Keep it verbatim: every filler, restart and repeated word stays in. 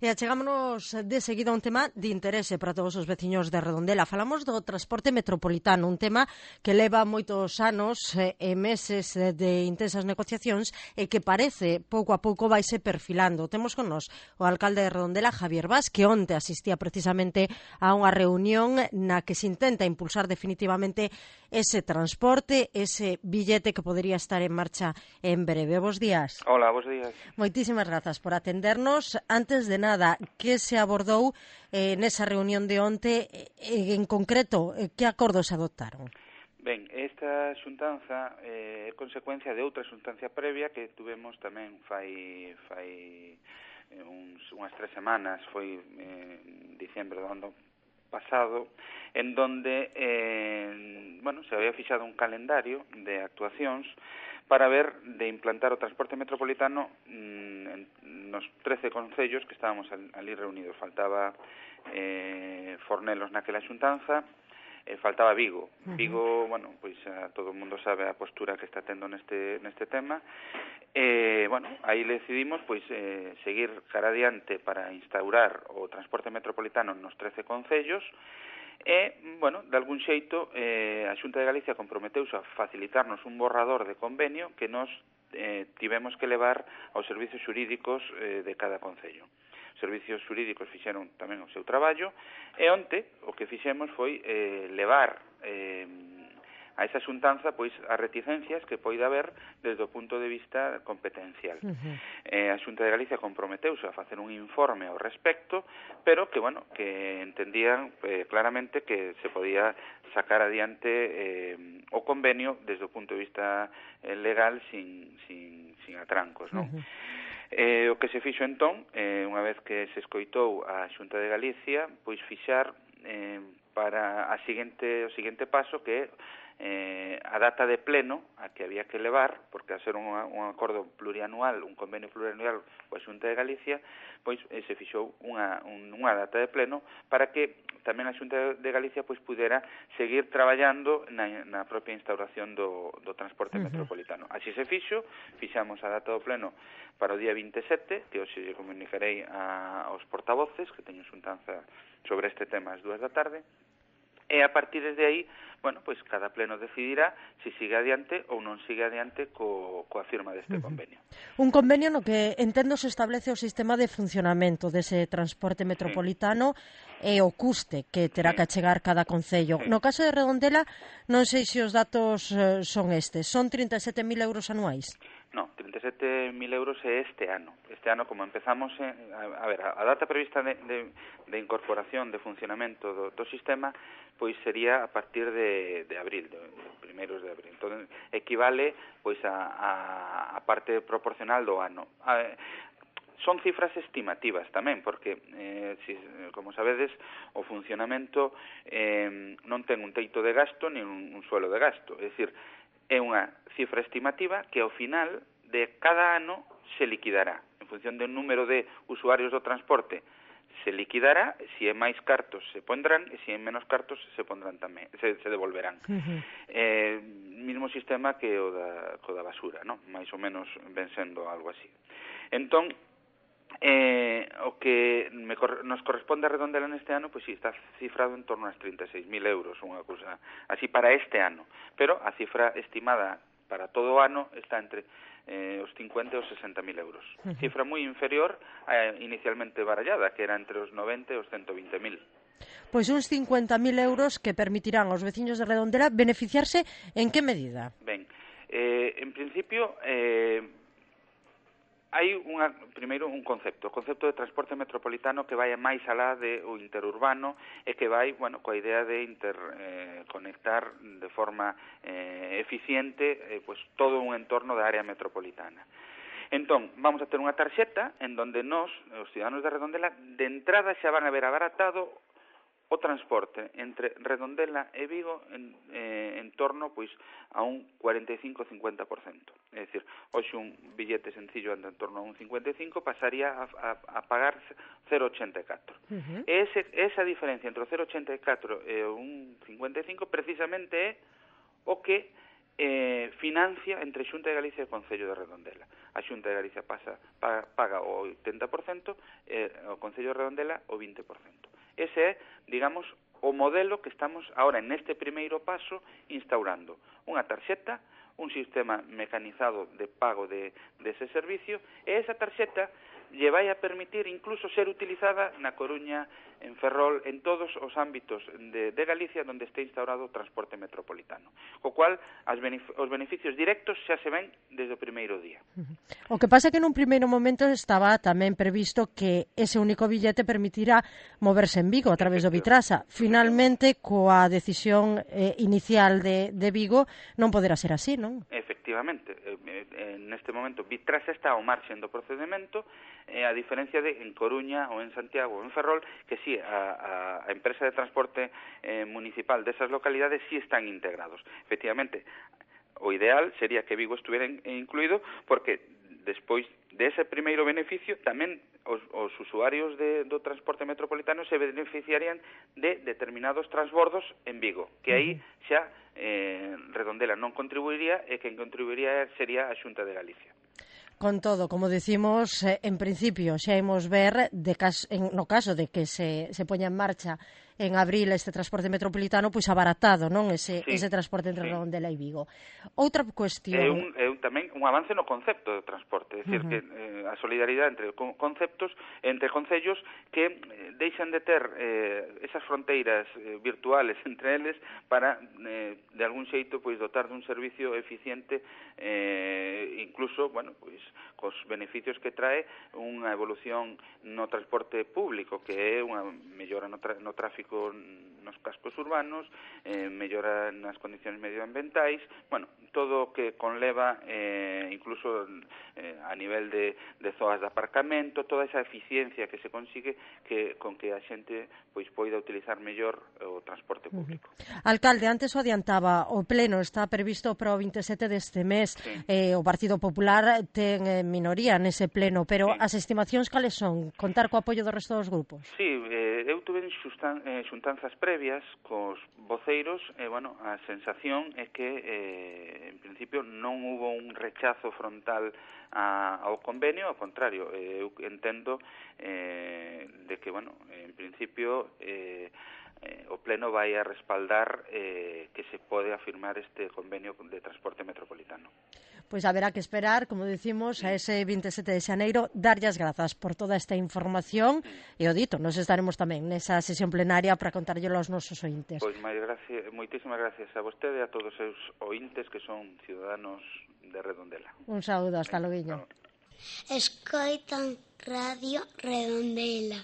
E achegámonos de seguida a un tema de interese para todos os veciños de Redondela. Falamos do transporte metropolitano, un tema que leva moitos anos e eh, meses de intensas negociacións e que parece pouco a pouco vaise perfilando. Temos con nós o alcalde de Redondela, Javier Bas, que onte asistía precisamente a unha reunión na que se intenta impulsar definitivamente ese transporte, ese billete que podería estar en marcha en breve. Bos días. Hola, bos días. Moitísimas grazas por atendernos. Antes de nada, que se abordou eh, nesa reunión de onte, eh, en concreto, eh, que acordos adoptaron? Ben, esta xuntanza é eh, consecuencia de outra xuntancia previa que tuvemos tamén fai fai eh, uns, unhas tres semanas, foi eh, en diciembre do ano pasado, en donde eh, bueno, se había fixado un calendario de actuacións para ver de implantar o transporte metropolitano mmm, en, nos trece concellos que estábamos ali reunidos. Faltaba eh, Fornelos naquela xuntanza, eh, faltaba Vigo. Uh-huh. Vigo, bueno, pois a, todo o mundo sabe a postura que está tendo neste neste tema. Eh, bueno, aí decidimos pois eh, seguir cara adiante para instaurar o transporte metropolitano nos trece concellos. E, bueno, de algún xeito, eh, a Xunta de Galicia comprometeuse a facilitarnos un borrador de convenio que nos eh, tivemos que levar aos servicios xurídicos eh, de cada concello. Os servicios xurídicos fixeron tamén o seu traballo, e onte o que fixemos foi eh, levar eh, a esa xuntanza pois as reticencias que poida haber desde o punto de vista competencial. Uh-huh. Eh, a Xunta de Galicia comprometeuse a facer un informe ao respecto, pero que, bueno, que entendían eh, claramente que se podía sacar adiante eh, o convenio desde o punto de vista eh, legal sin, sin, sin atrancos, non? Uh-huh. Eh, o que se fixo entón, eh, unha vez que se escoitou a Xunta de Galicia, pois fixar eh, para a seguinte, o seguinte paso que é eh, a data de pleno a que había que levar, porque a ser un, un acordo plurianual, un convenio plurianual coa Xunta de Galicia, pois eh, se fixou unha, un, unha data de pleno para que tamén a Xunta de Galicia pois pudera seguir traballando na, na propia instauración do, do transporte uh-huh. metropolitano. Así se fixo, fixamos a data do pleno para o día vinte e sete, que hoxe lle comunicarei a, aos portavoces, que teño xuntanza sobre este tema ás dúas da tarde, e a partir de aí, bueno, pois cada pleno decidirá se sigue adiante ou non sigue adiante co, coa firma deste uh-huh. convenio. Un convenio no que entendo se establece o sistema de funcionamento dese transporte metropolitano sí. e o custe que terá sí. que achegar cada concello. Sí. No caso de Redondela, non sei se os datos eh, son estes. Son trinta e sete mil euros anuais? No, trinta e sete mil euros é este ano. Este ano, como empezamos, eh, a, a ver, a, a data prevista de, de, de incorporación, de funcionamento do, do sistema, pois sería a partir de, de abril, de, de primeiros de abril. Entón, equivale pois a, a, a parte proporcional do ano. A, son cifras estimativas tamén, porque, eh, si, como sabedes, o funcionamento eh, non ten un teito de gasto nin un, un suelo de gasto. É dicir, é unha cifra estimativa que ao final de cada ano se liquidará. En función do número de usuarios do transporte se liquidará, se é máis cartos se pondrán e se é menos cartos se pondrán tamén, se, se devolverán. Uh-huh. Eh, mismo sistema que o da, co da basura, non? Mais ou menos ven sendo algo así. Entón, Eh, o que me, nos corresponde a Redondela neste ano, pois si, está cifrado en torno a trinta e seis mil euros, unha cousa así para este ano, pero a cifra estimada para todo o ano está entre eh, os cincuenta e os sesenta mil euros. Uh-huh. Cifra moi inferior a inicialmente barallada, que era entre os noventa e os ciento vinte mil. Pois uns cincuenta mil euros que permitirán aos veciños de Redondela beneficiarse en que medida? Ben, eh, en principio... Eh, hai unha, primeiro un concepto, o concepto de transporte metropolitano que vai máis alá de o interurbano e que vai, bueno, coa idea de interconectar eh, de forma eh, eficiente eh, pues, todo un entorno da área metropolitana. Entón, vamos a ter unha tarxeta en donde nós, os ciudadanos de Redondela, de entrada xa van a ver abaratado o transporte entre Redondela e Vigo en, eh, en torno pois a un cuarenta e cinco a cincuenta por cento. É dicir, hoxe un billete sencillo anda en torno a un cincuenta e cinco, pasaría a, a, a pagar cero vírgula ochenta e catro. Uh-huh. E ese, esa diferencia entre o cero vírgula ochenta e catro e o un cincuenta e cinco precisamente é o que eh, financia entre Xunta de Galicia e o Concello de Redondela. A Xunta de Galicia pasa, paga, paga o oitenta por cento e o Concello de Redondela o vinte por cento. Ese é, digamos, o modelo que estamos ahora neste primeiro paso instaurando. Unha tarxeta, un sistema mecanizado de pago de, de ese servicio, e esa tarxeta lle vai a permitir incluso ser utilizada na Coruña, en Ferrol, en todos os ámbitos de, de Galicia onde este instaurado o transporte metropolitano. Co cual, as benef os beneficios directos xa se ven desde o primeiro día. O que pasa é que nun primeiro momento estaba tamén previsto que ese único billete permitirá moverse en Vigo a través do Bitrasa. Finalmente, coa decisión eh, inicial de, de Vigo, non poderá ser así, non? Efectivamente, eh, eh, neste momento Bitrasa está ao marxen do procedimento, eh, a diferencia de en Coruña ou en Santiago ou en Ferrol, que sí, a, a, a empresa de transporte eh, municipal desas localidades sí están integrados. Efectivamente, o ideal sería que Vigo estuviera incluído, porque despois de ese primeiro beneficio tamén os, os usuarios de, do transporte metropolitano se beneficiarían de determinados transbordos en Vigo, que aí xa eh, Redondela non contribuiría e quen contribuiría sería a Xunta de Galicia. Con todo, como decimos, eh, en principio xa imos ver, de caso, en, no caso de que se, se poña en marcha en abril este transporte metropolitano, pois abaratado, non? Ese, sí, ese transporte entre sí. Redondela e Vigo. Outra cuestión... É un, é un, tamén un avance no concepto de transporte, é dicir, uh -huh. que eh, a solidaridade entre conceptos, entre concellos que eh, deixan de ter eh, esas fronteiras eh, virtuales entre eles para, eh, de algún xeito, pois dotar dun servicio eficiente, eh, incluso, bueno, pois cos beneficios que trae unha evolución no transporte público, que é unha mellora no, tra no tráfico nos cascos urbanos, eh, mellora nas condicións medioambientais, bueno, todo o que conleva eh, incluso eh, a nivel de, de zonas de aparcamento, toda esa eficiencia que se consigue que con que a xente pois poida utilizar mellor o transporte público. Uh-huh. Alcalde, antes o adiantaba, o pleno está previsto para o vinte e sete deste mes, sí. eh, o Partido Popular ten eh, minoría nese pleno, pero sí. As estimacións cales son? Contar co apoio do resto dos grupos? Sí, eh, eu tuve xustan, eh, xuntanzas previas cos voceiros e, bueno, a sensación é que eh, en principio non hubo un rechazo frontal a, ao convenio, ao contrario, eh, eu entendo eh, de que, bueno, en principio eh, eh, o Pleno vai a respaldar eh, que se pode afirmar este convenio de transporte metropolitano. Pois haberá que esperar, como decimos, a ese vinte e sete de xaneiro, darlle as grazas por toda esta información e o dito, nos estaremos tamén nesa sesión plenaria para contarlle aos nosos ointes. Pois gracias, moitísimas gracias a vostede e a todos os seus ointes que son ciudadanos de Redondela. Un saúdo, hasta logo. Escoitan Radio Redondela.